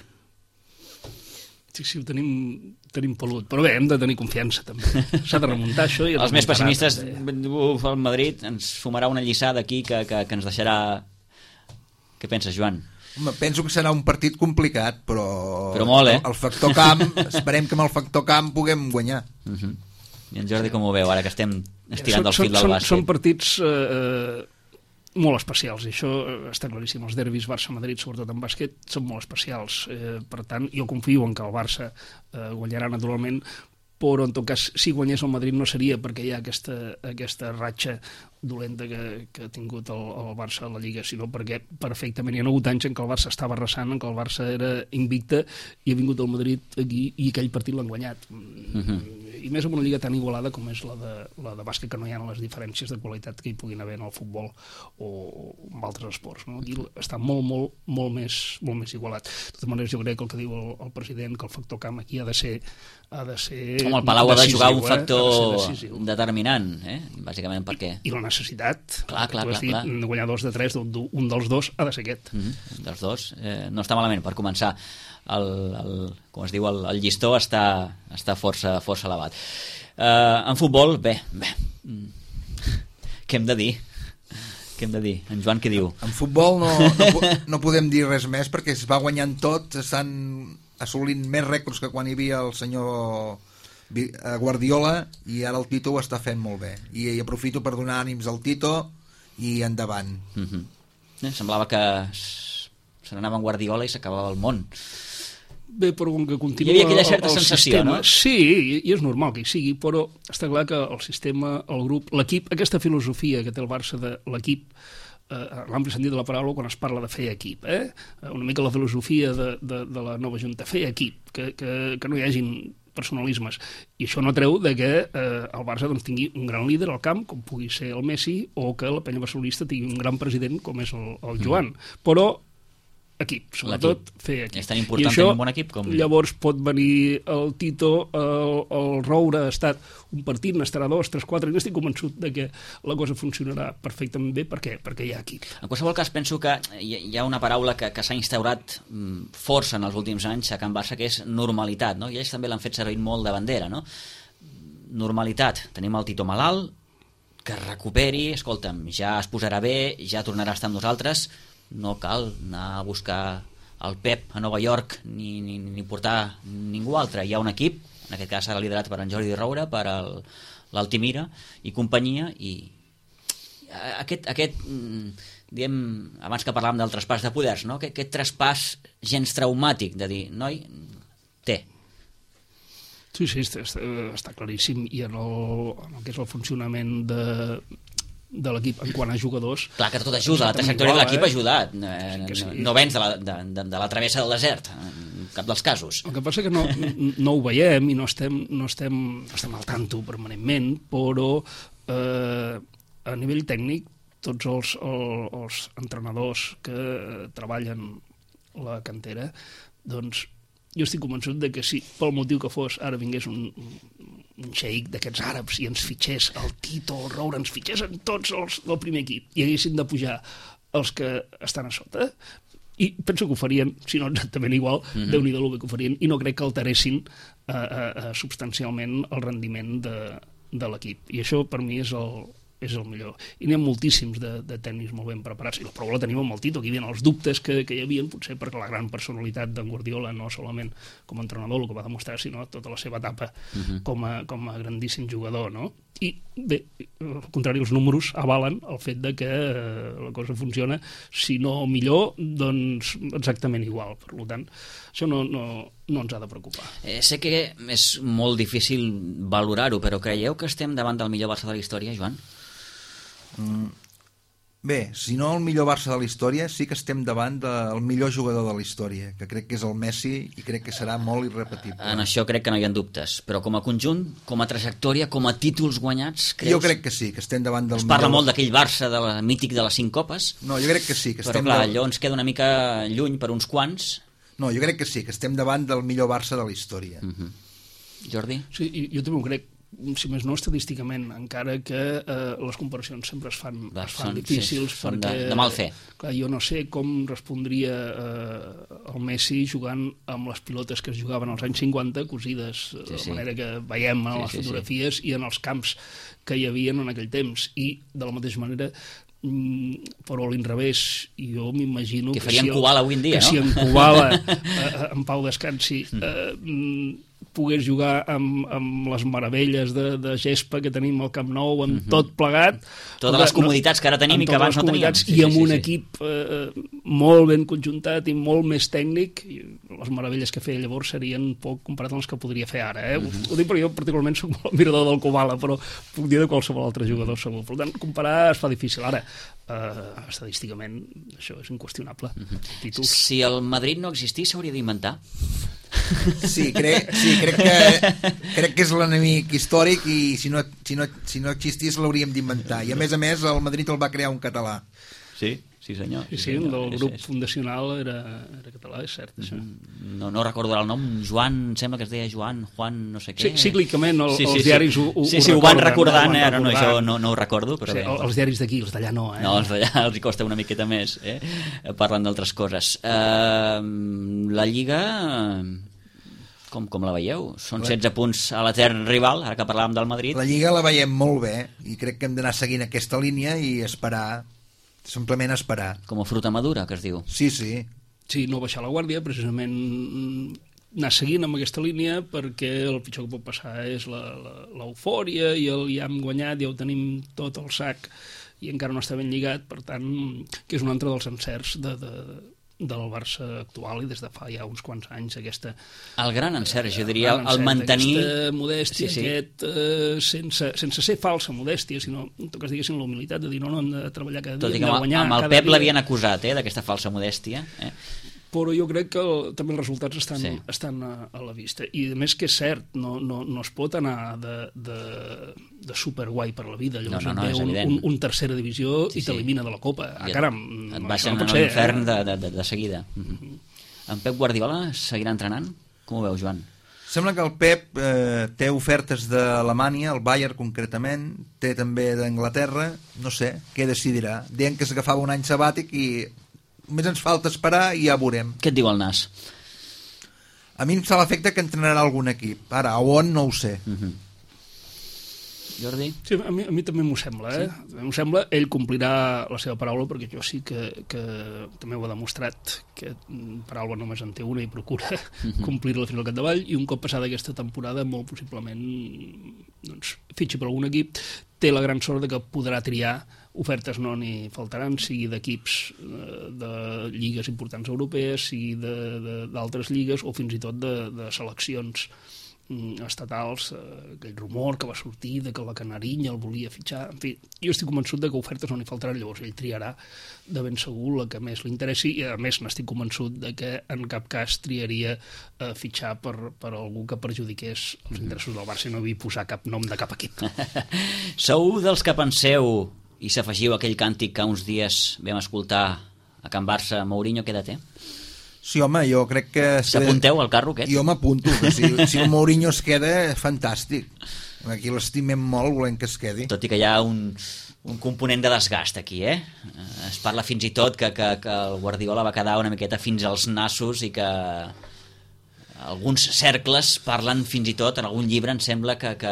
S3: Sí, ho tenim pelut, però bé, hem de tenir confiança també, s'ha de remuntar això i
S1: els més pessimistes, el Madrid ens sumarà una lliçada aquí que ens deixarà... Què penses, Joan?
S2: Home, penso que serà un partit complicat, però
S1: molt,
S2: el factor camp, esperem que amb el factor camp puguem guanyar.
S1: I en Jordi com ho veu, ara que estem estirant del fil del bàsquet?
S3: Són partits molt especials, i això està claríssim. Els derbis Barça-Madrid, sobretot en bàsquet, són molt especials. Per tant, jo confio en que el Barça guanyarà naturalment, però en tot cas, si guanyés el Madrid no seria perquè hi ha aquesta ratxa dolenta que ha tingut el Barça a la Lliga, sinó perquè perfectament hi ha hagut anys en què el Barça estava arrasant, en què el Barça era invicte, i ha vingut el Madrid aquí i aquell partit l'han guanyat. I més en una lliga tan igualada com és la de bàsquet, que no hi ha les diferències de qualitat que hi puguin haver en el futbol o en altres esports, no? Aquí està molt més igualat. De totes maneres, jo crec que el que diu el president, que el factor camp aquí ha de ser
S1: el Palau ha de jugar un factor determinant, bàsicament perquè...
S3: I la necessitat,
S1: clar.
S3: De guanyar 2 de 3, un dels dos ha de ser aquest.
S1: Dels dos, no està malament per començar. Com es diu, el llistó està força elevat. En futbol, bé, què hem de dir? En Joan què diu?
S2: En futbol no podem dir res més perquè es va guanyant tot, estan assolint més rècords que quan hi havia el senyor Guardiola, i ara el Tito ho està fent molt bé, i aprofito per donar ànims al Tito i endavant.
S1: Semblava que se n'anava en Guardiola i s'acabava el món.
S3: Bé, però com que continua...
S1: Hi havia aquella certa sensació,
S3: sistema,
S1: no?
S3: Sí, i és normal que hi sigui, però està clar que el sistema, el grup, l'equip, aquesta filosofia que té el Barça de l'equip, l'ampli sentit de la paraula quan es parla de fer equip, una mica la filosofia de la nova junta, fer equip, que no hi hagin personalismes, i això no treu de que el Barça doncs, tingui un gran líder al camp, com pugui ser el Messi, o que la penya barcelonista tingui un gran president com és el Joan, però equip, sobretot fer equip.
S1: És tan important tenir un bon equip com...
S3: Llavors pot venir el Tito, el Roure ha estat un partit, n'estarà 2, 3, 4, i estic convençut de que la cosa funcionarà perfectament bé. Per què? Perquè hi ha equip.
S1: En qualsevol cas, penso que hi ha una paraula que s'ha instaurat força en els últims anys a Can Barça, que és normalitat, no? I ells també l'han fet servir molt de bandera, no? Normalitat. Tenim el Tito malalt, que es recuperi, escolta'm, ja es posarà bé, ja tornarà a estar amb nosaltres. No cal anar a buscar el Pep a Nova York ni portar ningú altre. Hi ha un equip, en aquest cas serà liderat per en Jordi Roure, per l'Altimira i companyia, i aquest diem, abans que parlàvem del traspàs de poders, no? Aquest traspàs gens traumàtic de dir, noi, té.
S3: Sí, està claríssim, i en el que és el funcionament de l'equip en quant a jugadors.
S1: Clar que tot ajuda, la trajectòria de l'equip ha ajudat. No vens de la travessa del desert, en cap dels casos.
S3: El que passa que no ho veiem i no estem al tanto permanentment, però a nivell tècnic tots els entrenadors que treballen la cantera, doncs jo estic convençut de que si pel motiu que fos ara vingués un xeic d'aquests àrabs i ens fitxés el Tito, el Roure, ens fitxessin tots els del primer equip i haguessin de pujar els que estan a sota, i penso que ho farien, si no exactament igual, Déu-n'hi-do el bé que ho farien, i no crec que alteressin substancialment el rendiment de l'equip. I això per mi és el millor. I n'hi ha moltíssims de tècnics molt ben preparats, i la prova la tenim amb el Tito, aquí hi havia els dubtes que hi havia, potser perquè la gran personalitat d'en Guardiola, no solament com a entrenador, el que va demostrar, sinó tota la seva etapa com a grandíssim jugador, no? I bé, al contrari, els números avalen el fet de que la cosa funciona, si no millor, doncs exactament igual. Per tant, això no ens ha de preocupar.
S1: Sé que és molt difícil valorar-ho, però creieu que estem davant del millor Barça de la història, Joan?
S2: Bé, si no el millor Barça de la història, sí que estem davant del millor jugador de la història, que crec que és el Messi i crec que serà molt irrepetible.
S1: En això crec que no hi ha dubtes, però com a conjunt, com a trajectòria, com a títols guanyats, creus?
S2: Jo crec que sí, que estem davant del
S1: millor. Es parla molt d'aquell Barça mític de les 5 copes.
S2: No, jo crec que sí. Que
S1: però clar, allò ens queda una mica lluny per uns quants.
S2: No, jo crec que sí, que estem davant del millor Barça de la història.
S1: Jordi?
S3: Sí, jo també ho crec, si més no estadísticament, encara que les comparacions sempre es fan difícils, perquè
S1: de mal fer.
S3: Clar, jo no sé com respondria el Messi jugant amb les pilotes que es jugaven als anys 50, cosides de la manera que veiem en les fotografies i en els camps que hi havia en aquell temps, i de la mateixa manera però a l'inrevés, jo m'imagino
S1: que farien Kubala avui en dia,
S3: no? Si en Kubala en pau descansi pogués jugar amb les meravelles de gespa que tenim al Camp Nou, amb tot plegat,
S1: totes les comoditats que ara tenim i que abans no teníem,
S3: i amb un equip molt ben conjuntat i molt més tècnic, les meravelles que feia llavors serien poc comparat amb les que podria fer ara, ho dic perquè jo particularment soc molt admirador del Kubala, però puc dir de qualsevol altre jugador segur. Per tant, comparar es fa difícil. Ara, estadísticament, això és inqüestionable.
S1: Si el Madrid no existís, s'hauria d'inventar?
S2: Sí, crec que és l'enemic històric, i si no existís l'hauríem d'inventar. I a més, el Madrid el va crear un català.
S1: Sí, senyor.
S3: Sí, el grup fundacional era català, és cert, això.
S1: No recordo el nom, Joan, em sembla que es deia Joan, Juan, no sé què.
S3: Cíclicament els diaris ho recorden.
S1: Sí, ho van recordant, ara no, això no ho recordo. Però
S3: els diaris d'aquí, els d'allà no.
S1: No, els d'allà els hi costa una miqueta més, parlant d'altres coses. La Lliga... Com la veieu? Són 16 punts a l'etern rival, ara que parlàvem del Madrid.
S2: La Lliga la veiem molt bé i crec que hem d'anar seguint aquesta línia i esperar, simplement esperar.
S1: Com a fruita madura, que es diu.
S2: Sí.
S3: Sí, no baixar la guàrdia, precisament anar seguint amb aquesta línia, perquè el pitjor que pot passar és l'eufòria i ja hem guanyat, ja ho tenim tot al sac i encara no està ben lligat, per tant, que és un altre dels encerts del Barça actual, i des de fa ja uns quants anys
S1: el gran encert, jo diria, el mantenir
S3: aquesta modèstia, sense ser falsa modèstia, sinó en tot cas diguéssim la humilitat de dir no hem de treballar cada dia,
S1: tot i que amb el Pep l'havien acusat d'aquesta falsa modèstia,
S3: però jo crec que també els resultats estan a la vista, i a més que és cert, no es pot anar de superguai per la vida, llavors
S1: és evident.
S3: Un tercera divisió i t'elimina de la Copa, caram,
S1: et baixen a l'infern de seguida. En Pep Guardiola seguirà entrenant? Com ho veu, Joan?
S2: Sembla que el Pep té ofertes d'Alemanya, el Bayern concretament, té també d'Anglaterra, no sé, què decidirà. Deien que s'agafava un any sabàtic i només ens falta esperar i ja veurem.
S1: Què et diu el nas?
S2: A mi em fa l'efecte que entrenarà algun equip. Ara, a on no ho sé.
S3: Jordi? Sí, a mi també m'ho sembla, M'ho sembla, ell complirà la seva paraula, perquè jo sí que també ho ha demostrat, que paraula només en té una i procura complir-la fins al capdavall, i un cop passada aquesta temporada molt possiblement fitxi per algun equip. Té la gran sort de que podrà triar, ofertes no n'hi faltaran, sigui d'equips de lligues importants europees, sigui d'altres lligues, o fins i tot de seleccions estatals, aquell rumor que va sortir de que la Canarinya el volia fitxar, en fi, jo estic convençut de que ofertes no n'hi faltaran, llavors ell triarà de ben segur la que més li interessi, i a més n'estic convençut de que en cap cas triaria fitxar per algú que perjudiqués els interessos del Barça i no havia posar cap nom de cap equip.
S1: Sou dels que penseu i s'afegiu aquell càntic que uns dies vam escoltar a Can Barça, Mourinho, queda té?
S2: Sí, home, jo crec que...
S1: S'apunteu al carro aquest?
S2: Jo m'apunto, si el Mourinho es queda, fantàstic. Aquí l'estimem molt, volem que es quedi.
S1: Tot i que hi ha un component de desgast aquí, eh? Es parla fins i tot que el Guardiola va quedar una miqueta fins als nassos i que alguns cercles parlen fins i tot, en algun llibre em sembla que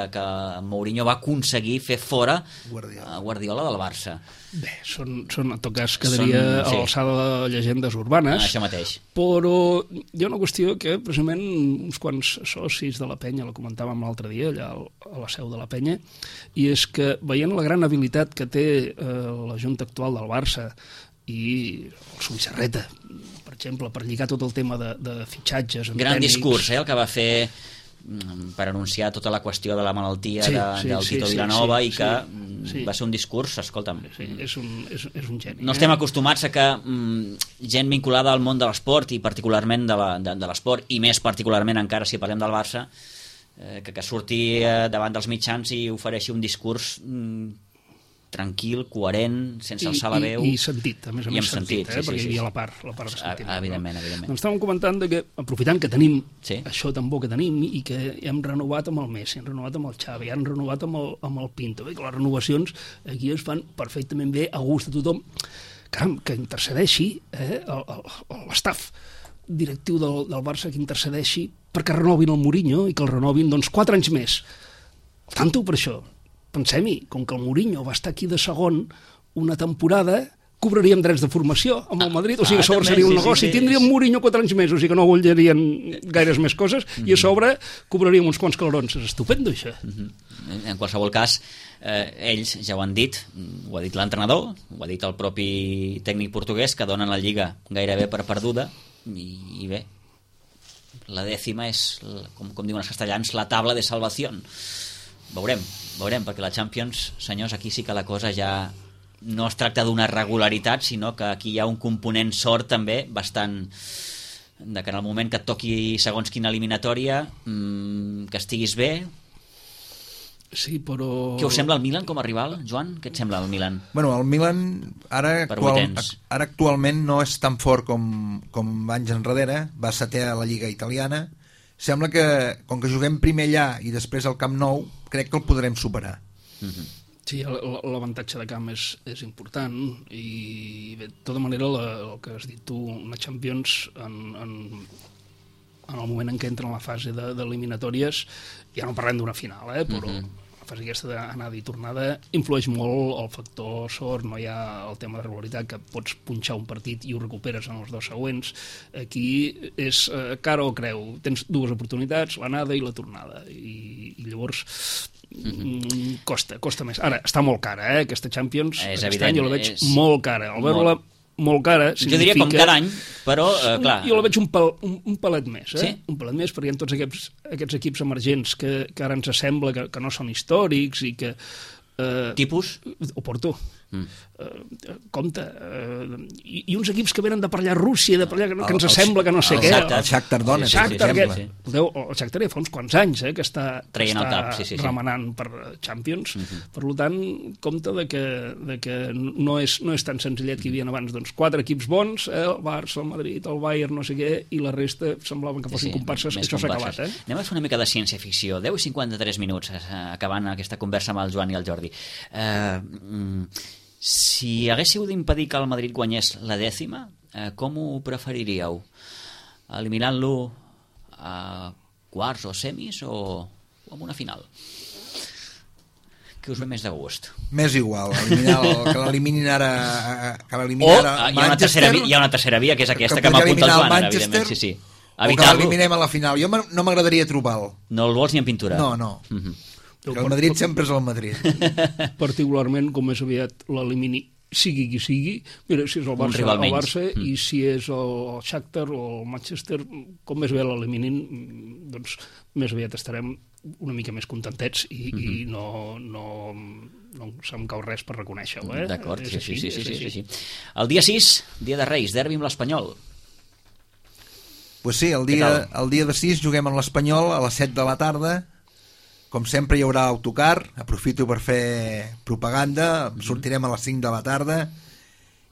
S1: Mourinho va aconseguir fer fora Guardiola del Barça.
S3: Bé, en tot cas quedaria a l'alçada de llegendes urbanes.
S1: Això mateix.
S3: Però hi ha una qüestió que precisament uns quants socis de la penya la comentàvem l'altre dia allà a la seu de la penya, i és que veient la gran habilitat que té la junta actual del Barça i el Subissarreta, per exemple, per lligar tot el tema de fitxatges
S1: gran tècnics. Discurs, el que va fer per anunciar tota la qüestió de la malaltia del Tito Vilanova i que va ser un discurs, escolta'm,
S3: és un geni.
S1: No estem acostumats a que gent vinculada al món de l'esport i particularment de l'esport, i més particularment encara si parlem del Barça, que surti davant dels mitjans i ofereixi un discurs tranquil, coherent, sense alçar la veu
S3: i sentit, a més sentit, perquè hi havia la part de sentit.
S1: Evidentment.
S3: Doncs estàvem comentant que, aprofitant que tenim això tan bo que tenim i que hem renovat amb el Messi, hem renovat amb el Xavi, hem renovat amb el Pinto, que les renovacions aquí es fan perfectament bé, a gust de tothom. Caram, que intercedeixi l'estaf directiu del Barça, que intercedeixi perquè renovin el Mourinho i que el renovin 4 anys més. Tanto per això. Pensem-hi, com que el Mourinho va estar aquí de segon una temporada, cobraríem drets de formació amb el Madrid, o sigui, a sobre seria un negoci, tindríem Mourinho 4 anys més, o sigui que no voldrien gaires més coses, i a sobre cobraríem uns quants calorons. És estupendo, això.
S1: En qualsevol cas, ells ja ho han dit, ho ha dit l'entrenador, ho ha dit el propi tècnic portuguès, que donen la Lliga gairebé per perduda, i bé, la dècima és, com diuen els castellans, la tabla de salvació. Veurem, perquè la Champions, senyors, aquí sí que la cosa ja no es tracta d'una regularitat, sinó que aquí hi ha un component sort també bastant, de que en el moment que et toqui segons quina eliminatòria que estiguis bé.
S3: Sí, però...
S1: Què us sembla el Milan com a rival, Joan? Què et sembla el Milan?
S2: Bueno, el Milan ara actualment no és tan fort com anys enrere, va setè a la Lliga italiana. Sembla que, com que juguem primer allà i després al Camp Nou, crec que el podrem superar.
S3: Sí, l'avantatge de camp és important, i bé, de tota manera el que has dit tu, una Champions en el moment en què entra en la fase d'eliminatòries, ja no parlem d'una final, però la fase aquesta d'anada i tornada influeix molt el factor sort, no hi ha el tema de regularitat, que pots punxar un partit i ho recuperes en els 2 següents. Aquí és cara o creu, tens 2 oportunitats, l'anada i la tornada, i llavors costa més. Ara, està molt cara, aquesta Champions, aquest any jo la veig molt cara, al veure-la molt cara significa...
S1: Jo diria com cada any, però clar...
S3: Jo la veig un palet més, Sí? Un palet més, perquè hi ha tots aquests equips emergents que ara ens sembla que no són històrics i que...
S1: Tipus?
S3: Oporto. Compte. I uns equips que venen de per allà a Rússia, de per allà, que ens sembla que no sé què.
S2: El Shakhtar Donetsk, per exemple.
S3: El Shakhtar ja fa uns quants anys que està remenant per Champions. Per tant, compte de que no és tan senzillet que hi havia abans. 4 equips bons, el Barça, el Madrid, el Bayern, no sé què, i la resta semblaven que fossin comparses. Això s'ha acabat.
S1: Anem a fer una mica de ciència-ficció. 10 i 53 minuts, acabant aquesta conversa amb el Joan i el Jordi. Si haguéssiu d'impedir que el Madrid guanyés la 10ª, com ho preferiríeu? Eliminant-lo a quarts o semis o amb una final? Què us ve més de gust?
S2: Més igual, que l'eliminin ara
S1: Manchester. Hi ha una tercera via, que és aquesta que m'apunta el Joan, evidentment. Sí.
S2: O que l'eliminem a la final. Jo no m'agradaria trobar-lo.
S1: No el vols ni en pintura?
S2: No. Que el Madrid sempre és el Madrid.
S3: Particularment, com més aviat l'elimini, sigui qui sigui, mira, si és el Barça, i si és el Shakhtar o el Manchester, com més aviat l'eliminin, doncs més aviat estarem una mica més contentets i no se'm cau res per reconèixer-ho.
S1: D'acord, sí. El dia 6, dia de Reis, derbi amb l'Espanyol.
S2: Pues sí, el dia de 6 juguem amb l'Espanyol a les 7 de la tarda. Com sempre hi haurà autocar, aprofito per fer propaganda, sortirem a les 5 de la tarda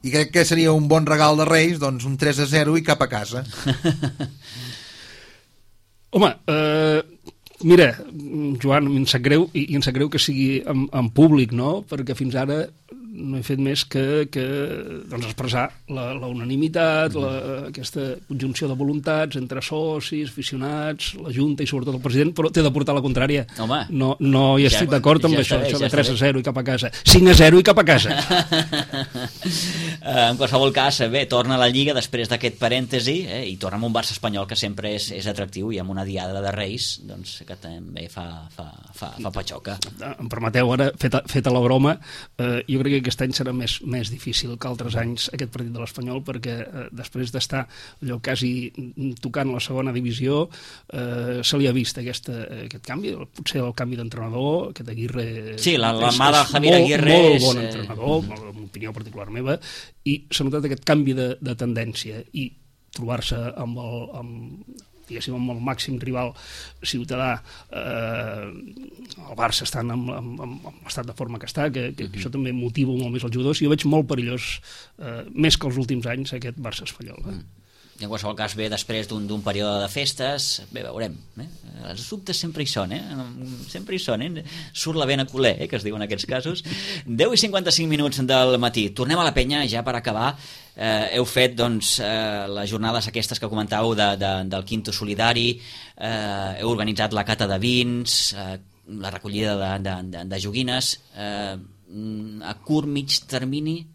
S2: i crec que seria un bon regal de Reis, doncs un 3-0 i cap a casa.
S3: Home, mira, Joan, em sap greu, i em sap greu que sigui en públic, no? Perquè fins ara no he fet més que doncs expressar la unanimitat, aquesta conjunció de voluntats entre socis, aficionats, la Junta i sobretot el president, però t'he de portar la contrària.
S1: Home,
S3: no hi estic d'acord amb això de 3-0 i cap a casa. 5-0 i cap a casa.
S1: En qualsevol cas, bé, torna a la Lliga després d'aquest parèntesi i torna amb un Barça espanyol que sempre és atractiu i amb una diada de Reis doncs, que també fa patxoca.
S3: Em permeteu ara, feta la broma, jo crec que aquest any serà més difícil que altres anys aquest partit de l'Espanyol, perquè després d'estar allò quasi tocant la segona divisió se li ha vist aquest canvi, potser el canvi d'entrenador, aquest Aguirre
S1: sí, la mà de Javier Aguirre
S3: molt bon entrenador, en opinió particular meva, i s'ha notat aquest canvi de tendència i trobar-se amb el màxim rival ciutadà, el Barça estant amb l'estat de forma que està, que això també motiva molt més els jugadors, i jo veig molt perillós, més que els últims anys, aquest Barça espanyol.
S1: I en qualsevol cas ve després d'un període de festes, bé, veurem, els dubtes sempre hi són, sempre hi són, surt la vena culer, que es diu en aquests casos. 10:55 del matí, tornem a la penya ja per acabar. Heu fet doncs, les jornades aquestes que comentàveu del Quinto Solidari, heu organitzat la cata de vins, la recollida de joguines, a curt, mig termini,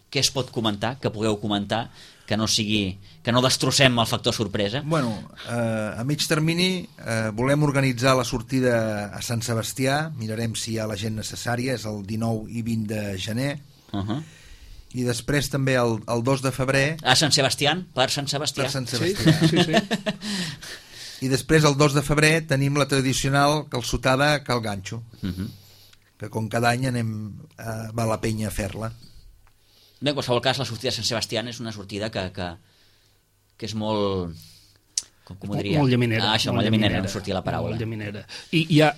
S1: què es pot comentar, que pugueu comentar, que no destrossem el factor sorpresa?
S2: Bueno, a mig termini volem organitzar la sortida a Sant Sebastià, mirarem si hi ha la gent necessària, és el 19 i 20 de gener, i després també el 2 de febrer...
S1: A Sant Sebastià? Per Sant Sebastià?
S2: Per Sant Sebastià. Sí. I després el 2 de febrer tenim la tradicional calçotada a Cal Ganxo, que com cada any va a la penya a fer-la.
S1: Bé, en qualsevol cas, la sortida de Sant Sebastià és una sortida que és molt... Com ho diria?
S3: Molt llaminera.
S1: Això, molt llaminera, no sortia la paraula.
S3: Molt llaminera. I hi ha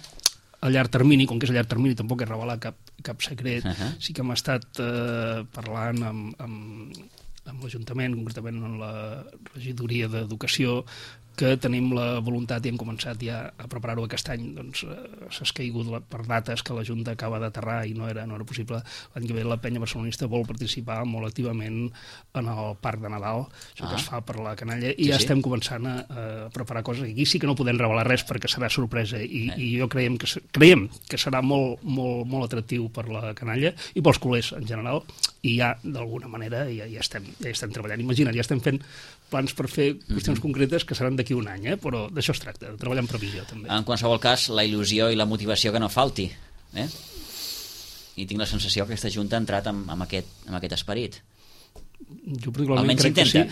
S3: a llarg termini, com que és a llarg termini, tampoc he revelat cap secret, sí que hem estat parlant amb l'Ajuntament, concretament en la regidoria d'Educació, que tenim la voluntat i hem començat ja a preparar-ho aquest any, doncs s'ha escaigut per dates que la Junta acaba d'aterrar i no era possible. L'any que ve la penya barcelonista vol participar molt activament en el Parc de Nadal, això que es fa per la canalla, i ja estem començant a preparar coses. Aquí sí que no podem revelar res perquè serà sorpresa i jo creiem que serà molt, molt, molt atractiu per la canalla i pels culers en general, i ja d'alguna manera ja estem treballant. Imagina't, ja estem fent plans per fer qüestions concretes que seran d'aquí un any, però d'això es tracta, de treballar en previsió també.
S1: En qualsevol cas, la il·lusió i la motivació que no falti, i tinc la sensació que aquesta Junta ha entrat amb aquest esperit.
S3: Jo particularment crec que sí.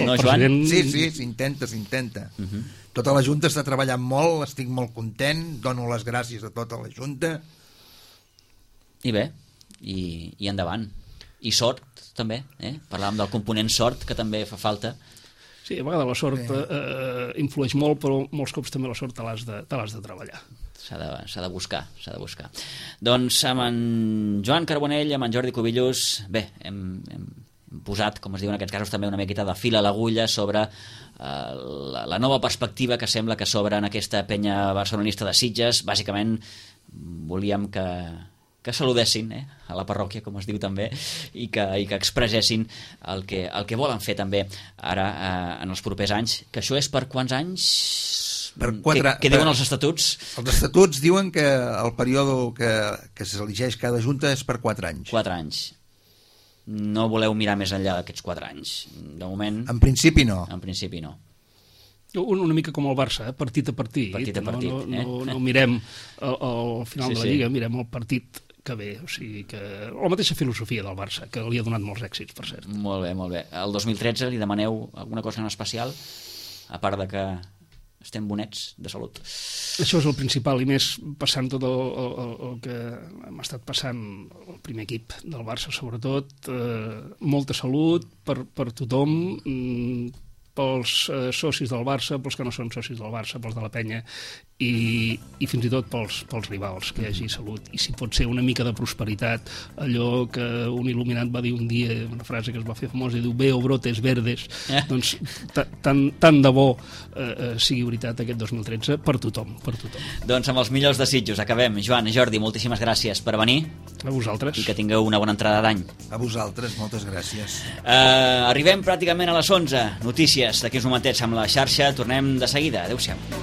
S1: No, Joan?
S2: Sí, s'intenta. Tota la Junta està treballant molt, estic molt content, dono les gràcies a tota la Junta.
S1: I bé, i endavant. I sort també, parlàvem del component sort que també fa falta.
S3: Sí, a vegades la sort influeix molt, però molts cops també la sort te l'has de treballar.
S1: S'ha de buscar. Doncs amb en Joan Carbonell, amb en Jordi Cubillos, bé, hem posat, com es diu en aquests casos, també una miqueta de fil a l'agulla sobre la nova perspectiva que sembla que s'obre en aquesta penya barcelonista de Sitges. Bàsicament volíem que saludessin a la parròquia, com es diu també, i que expressessin el que volen fer també ara en els propers anys. Que això és per quants anys? Què diuen els estatuts?
S2: Els estatuts diuen que el període que s'elegeix cada junta és per 4 anys.
S1: 4 anys. No voleu mirar més enllà d'aquests 4 anys? De moment...
S2: En principi no.
S1: En principi no.
S3: Una mica com el Barça, partit a partit.
S1: Partit a partit.
S3: No mirem al final de la Lliga, mirem el partit que bé, o sigui que la mateixa filosofia del Barça, que li ha donat molts èxits, per cert.
S1: Molt bé, molt bé. El 2013 li demaneu alguna cosa en especial, a part de que estem bonets de salut?
S3: Això és el principal, i més passant tot el que hem estat passant, el primer equip del Barça sobretot, molta salut per tothom, pels socis del Barça, pels que no són socis del Barça, pels de la penya, i fins i tot pels rivals, que hi hagi salut, i si pot ser una mica de prosperitat, allò que un il·luminat va dir un dia, una frase que es va fer famosa, i diu, veo brotes verdes, doncs tant de bo sigui veritat aquest 2013 per tothom, per tothom.
S1: Doncs amb els millors desitjos acabem. Joan, Jordi, moltíssimes gràcies per venir.
S3: A vosaltres.
S1: I que tingueu una bona entrada d'any.
S2: A vosaltres, moltes gràcies.
S1: Arribem pràcticament a les 11. Notícies d'aquí uns momentets amb la xarxa. Tornem de seguida. Adéu-siau.